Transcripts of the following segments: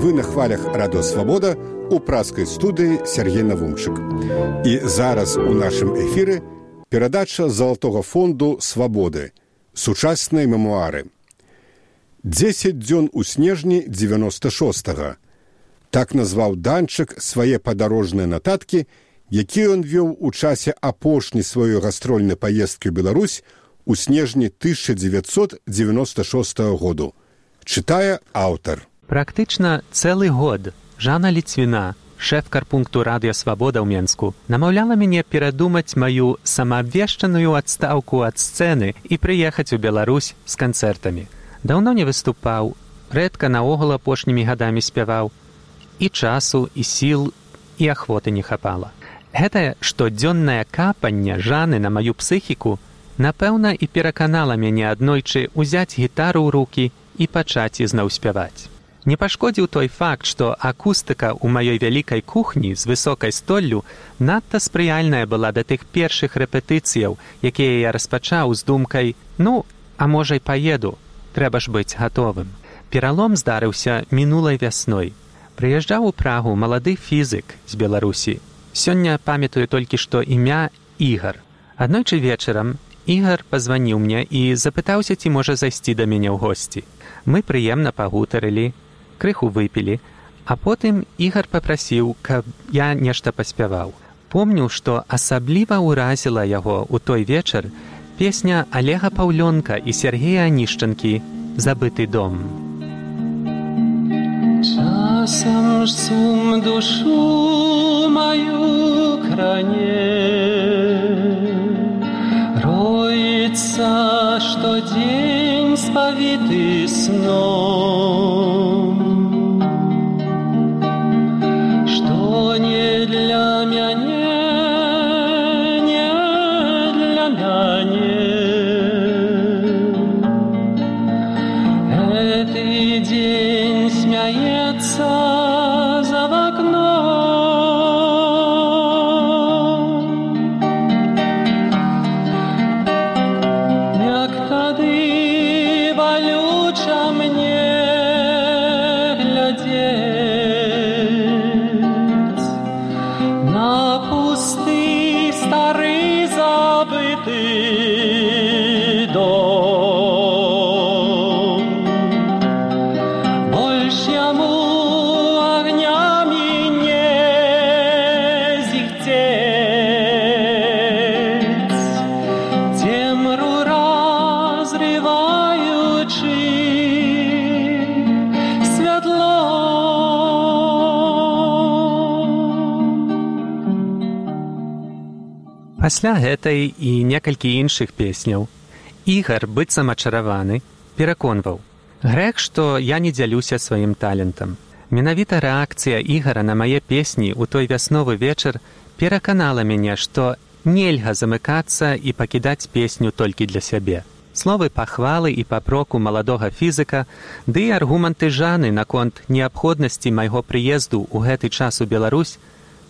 Вы на хвалях Радио Свобода у праскай студыі Сергей Навумчык. І зараз у нашым эфіры перадача Залатога фонду «Свабоды» сучасныя мемуары. 10 дзён у снежні 96-го. Так назваў Данчык свае падарожныя нататкі, якія ён вёў у часе апошняй сваёй гастрольнай паездкі ў Беларусь у снежні 1996 году. Чытае аўтар. Практычна цэлы год Жанна Ліцвіна, шэф карпункту «Радыё Свабода» ў Менску, намаўляла мяне перадумаць маю самаабвешчаную адстаўку ад сцэны і прыехаць у Беларусь з канцэртамі. Даўно не выступаў, рэдка наогул апошнімі гадамі спяваў. І часу, і сіл, і ахвоты не хапала. Гэтае штодзённае капанне Жанны на маю псіхіку напэўна і пераканала мяне аднойчы ўзяць гітару ў рукі і пачаць ізноў спяваць. Не пашкодзіў той факт, што акустыка ў маёй вялікай кухні з высокай столлю надта спрыяльная была да тых першых рэпетыцыяў, якія я распачаў з думкай «Ну, а можа й паеду, трэба ж быць гатовым». Пералом здарыўся мінулай вясной. Прыязджаў у Прагу малады фізык з Беларусі. Сёння памятаю толькі, што імя Ігар. Аднойчы вечарам Ігар пазваніў мне і запытаўся, ці можа зайсці да мяне ў госці. Мы прыемна пагутарылі, крыху выпілі, а потым Ігар папрасіў, каб я нешта паспяваў. Помню, што асабліва ўразіла яго ў той вечар песня Олега Паўлёнка і Сергея Анішчанкі «Забыты дом». Часам ж сум душу мою кране, роется штодень спавіты сном. Што не для мяне, не для мяне. Эты день смяецца за вакном. Як тады балюча мне глядзець на пусты стары забыты дом. Больш яму агнямі не зіхцець, цемру разрываючы святло. Пасля гэтай і некалькі іншых песняў Ігар, быццам ачараваны, пераконваў: грэх, што я не дзялюся сваім талентам. Менавіта рэакцыя Ігара на мае песні ў той вясновы вечар пераканала мяне, што нельга замыкацца і пакідаць песню толькі для сябе. Словы пахвалы і папроку маладога фізыка, ды і аргументы Жанны наконт неабходнасці майго прыезду ў гэты час у Беларусь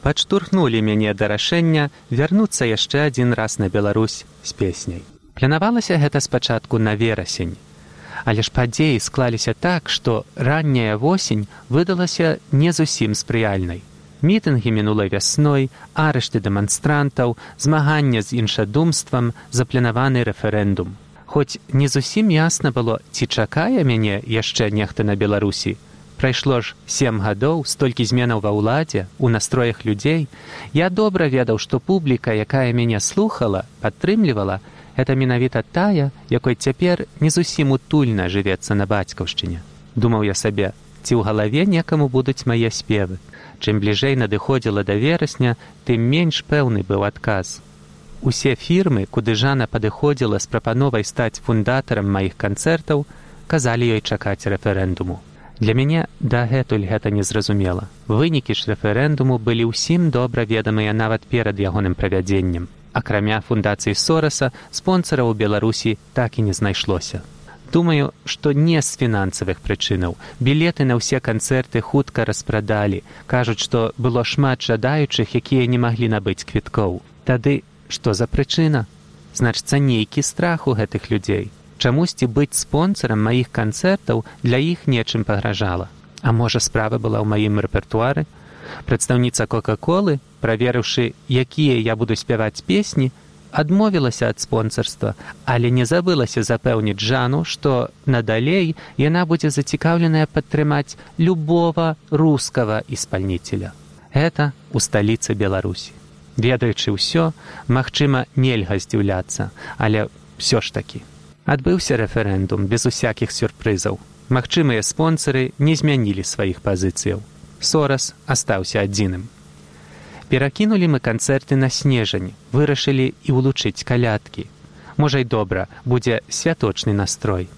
падштурхнулі мяне да рашэння вярнуцца яшчэ адзін раз на Беларусь з песняй. Планавалася гэта спачатку на верасень. Але ж падзеі склаліся так, што ранняя восень выдалася не зусім спрыяльнай. Мітынгі мінулай вясной, арышты дэманстрантаў, змагання з іншадумствам, запланаваны рэферэндум. Хоць не зусім ясна было, ці чакае мяне яшчэ нехта на Беларусі. Прайшло ж 7 гадоў, столькі зменаў ва ўладзе, у настроях людзей. Я добра ведаў, што публіка, якая мяне слухала, падтрымлівала, гэта менавіта тая, якой цяпер не зусім утульна жывецца на бацькаўшчыне. Думаў я сабе, ці ў галаве некаму будуць мае спевы. Чым бліжэй надыходзіла да верасня, тым менш пэўны быў адказ. Усе фірмы, куды Жанна падыходзіла з прапановай стаць фундатарам маіх канцэртаў, казалі ёй чакаць рэферэндуму. Для мяне дагэтуль гэта незразумела. Вынікі ж рэферэндуму былі ўсім добра ведамыя нават перад ягоным правядзеннем. Акрамя фундацыі Сораса, спонсараў у Беларусі так і не знайшлося. Думаю, што не з фінансавых прычынаў. Білеты на ўсе канцэрты хутка распрадалі. Кажуць, што было шмат жадаючых, якія не маглі набыць квіткоў. Тады што за прычына? Значыцца, нейкі страх у гэтых людзей. Чамусьці быць спонсарам маіх канцэртаў для іх нечым пагражала. А можа, справа была ў маім рэпертуары? Прадстаўніца Кока-колы, праверыўшы, якія я буду спяваць песні, адмовілася ад спонсарства, але не забылася запэўніць Жанну, што надалей яна будзе зацікаўленая падтрымаць любого рускага исполнителя. Гэта ў сталіцы Беларусі. Ведаючы ўсё, магчыма, нельга здзіўляцца, але ўсё ж такі. Адбыўся рэферэндум без усякіх сюрпрызаў. Магчымыя спонсары не змянілі сваіх пазіцыяў. Сорас астаўся адзіным. Перакінулі мы канцэрты на снежань, вырашылі і ўлучыць калядкі. Можа й добра, будзе святочны настрой.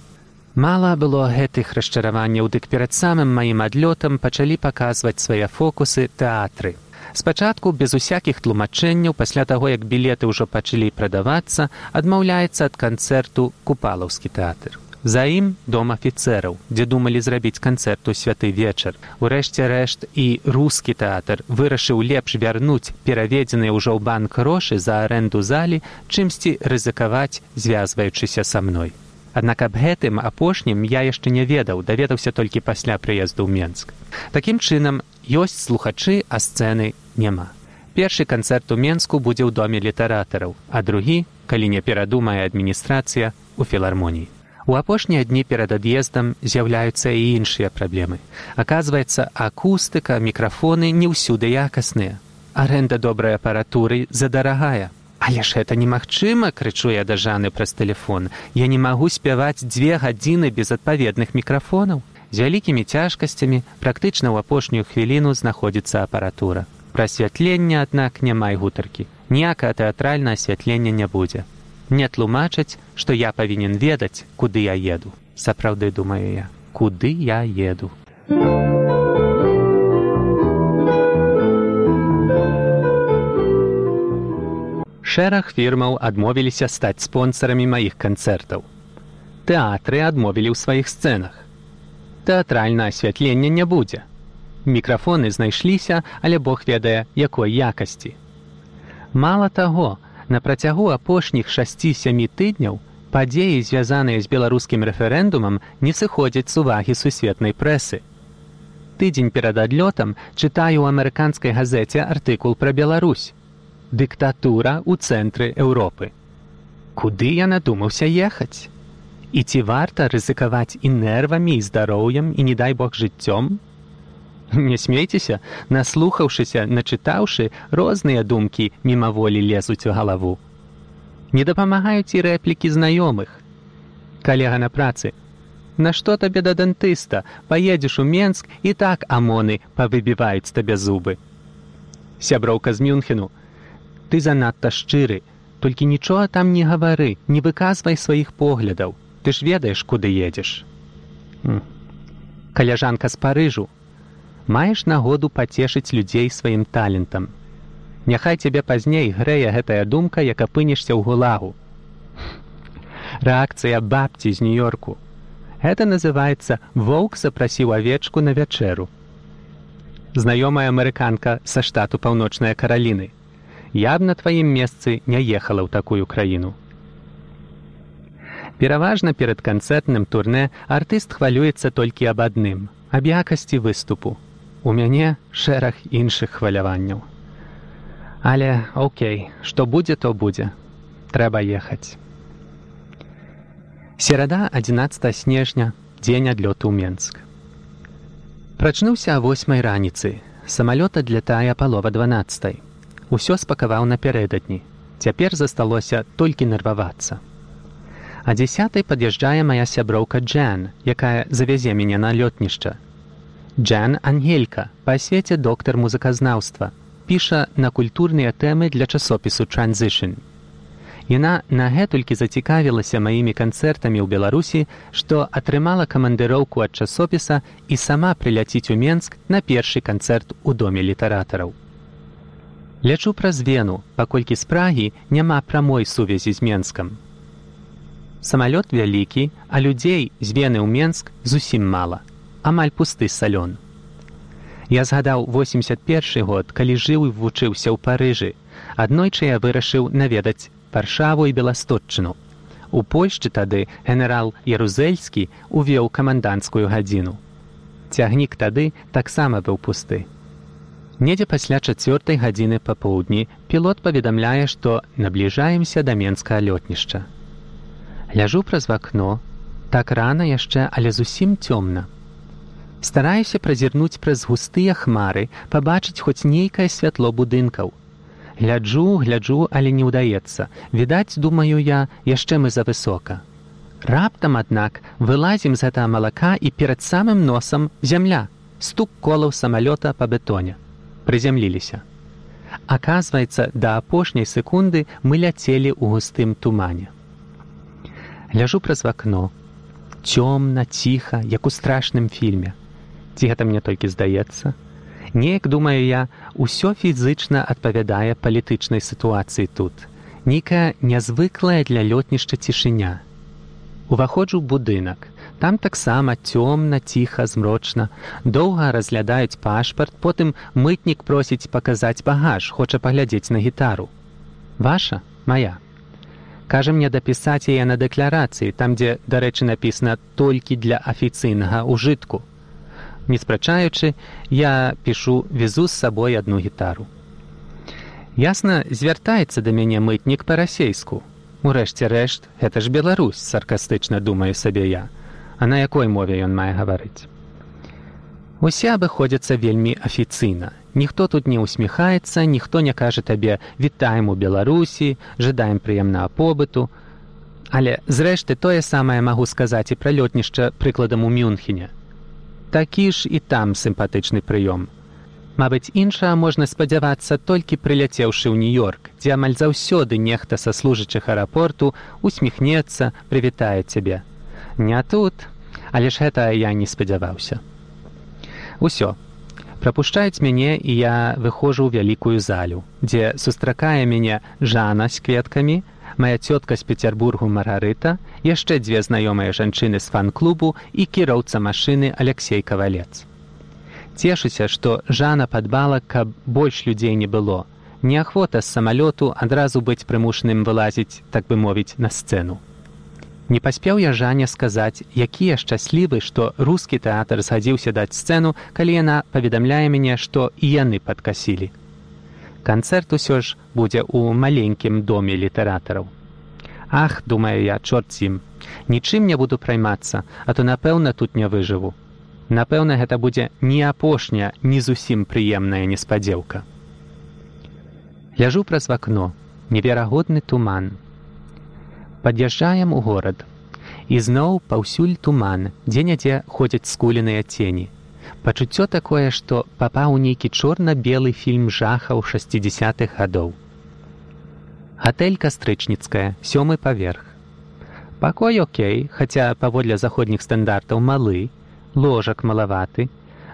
Мала было гэтых расчараванняў, дык перад самым маім адлётам пачалі паказваць свае фокусы тэатры. Спачатку, без усякіх тлумачэнняў, пасля таго, як білеты ўжо пачалі прадавацца, адмаўляецца ад канцэрту Купалаўскі тэатр. За ім дом афіцэраў, дзе думалі зрабіць канцэрт у святы вечар. Урэшце рэшт і рускі тэатр вырашыў лепш вярнуць пераведзеныя ўжо ў банк грошы за арэнду залі, чымсьці рызыкаваць, звязваючыся са мной. Аднак аб гэтым апошнім я яшчэ не ведаў, даведаўся толькі пасля прыезду ў Менск. Такім чынам, ёсць слухачы, а сцэны няма. Першы канцэрт у Менску будзе ў доме літаратараў, а другі, калі не перадумае адміністрацыя, у філармоніі. У апошнія дні перад ад'ездам з'яўляюцца і іншыя праблемы. Аказваецца, акустыка, мікрафоны не ўсюды якасныя. Арэнда добрай апаратуры задарагая. Але ж гэта немагчыма, крычу я да Жанны праз тэлефон. Я не магу спяваць 2 гадзіны без адпаведных мікрафонаў. З вялікімі цяжкасцямі практычна ў апошнюю хвіліну знаходзіцца апаратура. Пра асвятленне, аднак, няма і гутаркі. Ніякае тэатральнае асвятленне не будзе. Не тлумачаць, што я павінен ведаць, куды я еду. Сапраўды, думаю я, куды я еду. Шэраг фірмаў адмовіліся стаць спонсарамі маіх канцэртаў. Тэатры адмовілі ў сваіх сцэнах. Тэатральнае асвятленне не будзе. Мікрафоны знайшліся, але Бог ведае, якой якасці. Мала таго, на працягу апошніх 6-7 тыдняў падзеі, звязаныя з беларускім рэферэндумам, не сыходзяць з увагі сусветнай прэсы. Тыдзень перад адлётам чытаю ў амерыканскай газеце артыкул пра Беларусь. Дыктатура ў цэнтры Еўропы. Куды я надумаўся ехаць? І ці варта рызыкаваць і нервамі, і здароўем, і, не дай Бог, жыццём? Не смейцеся, наслухаўшыся, начытаўшы, розныя думкі мімаволі лезуць у галаву. Не дапамагаюць і рэплікі знаёмых. Калега на працы: «Нашто табе да дантыста? Паедзеш у Менск, і так амоны павыбіваюць табе зубы». Сяброўка з Мюнхену: «Ты занадта шчыры, толькі нічога там не гавары, не выказвай сваіх поглядаў. Ты ж ведаеш, куды едзеш». Каляжанка з Парыжу: «Маеш нагоду пацешыць людзей сваім талентам. Няхай цябе пазней грэе гэтая думка, як апынешся ў гулагу». Рэакцыя бабці з Нью-Йорку: «Гэта называецца «воўк запрасіў авечку на вячэру». Знаёмая амерыканка са штату Паўночныя Караліны: «Я б на тваім месцы не ехала ў такую краіну». Пераважна перад канцэртным турнэ артыст хвалюецца толькі аб адным – аб якасці выступу. У мяне шэраг іншых хваляванняў. Але, окей, што будзе, то будзе. Трэба ехаць. Серада, 11 снежня, дзень адлёту ў Менск. Прачнуўся о 8 раніцы. Самалёт адлятае палова 12. Усё спакаваў напярэдадні. Цяпер засталося толькі нервавацца. А 10 пад'язджае мая сяброўка Джан, якая завязе мяне на лётнішча. Джан Ангелька, па асвеце доктар музыказнаўства, піша на культурныя тэмы для часопісу Transition. Яна нагэтулькі зацікавілася маімі канцэртамі ў Беларусі, што атрымала камандыроўку ад часопіса і сама прыляціць у Менск на першы канцэрт у доме літаратараў. Лячу праз Вену, паколькі з Прагі няма прамой сувязі з Менскам. Самалёт вялікі, а людзей з Вены ў Менск зусім мала. Амаль пусты салён. Я згадаў 81 год, калі жыў і вучыўся ў Парыжы. Аднойчы я вырашыў наведаць Варшаву і Беластотчыну. У Польшчы тады генерал Ярузельскі увёў каманданцкую гадзіну. Цягнік тады таксама быў пусты. Недзе пасля 4 гадзіны папоўдні пілот паведамляе, што набліжаемся да Менскага лётнішча. Ляжу праз вакно, так рана яшчэ, але зусім цёмна. Стараюся празірнуць праз густыя хмары, пабачыць хоць нейкае святло будынкаў. Гляджу, але не ўдаецца. Відаць, думаю я, яшчэ мы завысока. Раптам, аднак, вылазім з гэтага малака і перад самым носам зямля. Стук колаў самалёта па бетоне. Прызямліліся. Аказваецца, да апошняй секунды мы ляцелі ў густым тумане. Ляжу праз вакно. Цёмна, ціха, як у страшным фільме. Ці гэта мне толькі здаецца? Неяк, думаю я, усё фізычна адпавядае палітычнай сітуацыі тут. Нейкая нязвыклая для лётнішча цішыня. Уваходжу ў будынак. Там таксама цёмна, ціха, змрочна. Доўга разглядаюць пашпарт, потым мытнік просіць паказаць багаж, хоча паглядзець на гітару. Ваша? Мая. Кажа мне дапісаць яе на дэкларацыі, там, дзе, дарэчы, напісана «толькі для афіцыйнага ўжытку». Не спрачаючы, я пішу «везу з сабой адну гітару». Ясна, звяртаецца да мяне мытнік па-расейску. Урэшце рэшт, гэта ж Беларусь, саркастычна думаю сабе я. А на якой мове ён мае гаварыць? Усе абыходзяцца вельмі афіцыйна. Ніхто тут не усміхаецца, ніхто не кажа табе «вітаем у Беларусі», «жадаем прыемнага побыту». Але, зрэшты, тое самае магу сказаць і пра лётнішча прыкладам у Мюнхене. Такі ж і там сімпатычны прыём. Мабыць, іншага можна спадзявацца толькі прыляцеўшы ў Нью-Йорк, дзе амаль заўсёды нехта са служачых аэрапорту усміхнецца, прывітае цябе. Не тут, але ж гэта я не спадзяваўся. Усё. Прапушчаюць мяне, і я выходжу ў вялікую залю, дзе сустракае мяне Жана з кветкамі, мая цётка з Пецярбургу Маргарыта, яшчэ 2 знаёмыя жанчыны з фан-клубу і кіроўца машыны Алексей Кавалец. Цешуся, што Жана падбала, каб больш людзей не было. Неахвота з самалёту адразу быць прымушаным вылазіць, так бы мовіць, на сцэну. Не паспеў я Жанне сказаць, які я шчаслівы, што рускі тэатр згадзіўся даць сцэну, калі яна паведамляе мяне, што і яны падкасілі. Канцэрт усё ж будзе ў маленькім доме літаратараў. Ах, думаю я, чорт з ім, нічым не буду праймацца, а то, напэўна, тут не выжыву. Напэўна, гэта будзе не апошняя, не зусім прыемная неспадзеўка. Ляжу праз вакно, неверагодны туман. Пад'язджаем у горад. І зноў паўсюль туман, дзе-нядзе ходзяць скуленыя цені. Пачуццё такое, што папаў у нейкі чорна-белы фільм жахаў 60-х гадоў. Гатэль Кастрычніцкая, 7-й паверх. Пакой окей, хаця паводле заходніх стандартаў малы, ложак малаваты,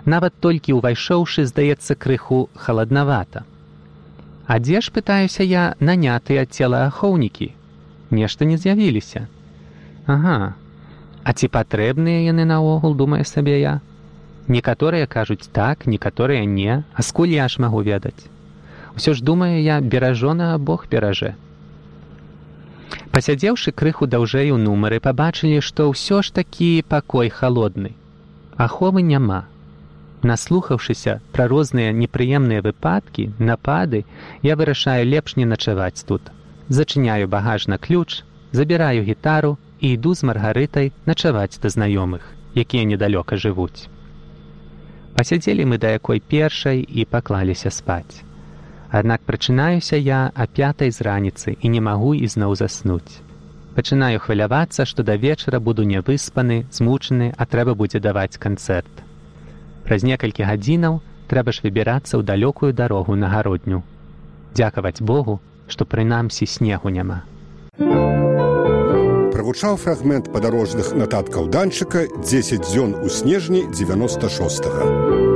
нават толькі ўвайшоўшы, здаецца, крыху халаднавата. А дзе ж, пытаюся я, нанятыя целаахоўнікі? Нешта не з'явіліся. Ага, а ці патрэбныя яны наогул, думае сабе я? Некаторыя кажуць так, некаторыя не, а скуль я ж магу ведаць? Усё ж, думаю я, беражонага Бог беражэ. Пасядзеўшы крыху даўжэй у нумары, пабачылі, што ўсё ж такі пакой халодны. Аховы няма. Наслухаўшыся пра розныя непрыемныя выпадкі, напады, я вырашаю лепш не начаваць тут. Зачыняю багаж на ключ, забіраю гітару і іду з Маргарытай начаваць да знаёмых, якія недалёка жывуць. Пасядзелі мы да якой першай і паклаліся спаць. Аднак прачынаюся я о 5:00 з раніцы і не магу ізноў заснуць. Пачынаю хвалявацца, што да вечара буду нявыспаны, змучаны, а трэба будзе даваць канцэрт. Праз некалькі гадзінаў трэба ж выбірацца ў далёкую дарогу на гародню. Дзякаваць Богу, што прынамсі снегу няма. Прагучаў фрагмент падарожных нататкаў Данчыка «10 дзён у снежні 96-го».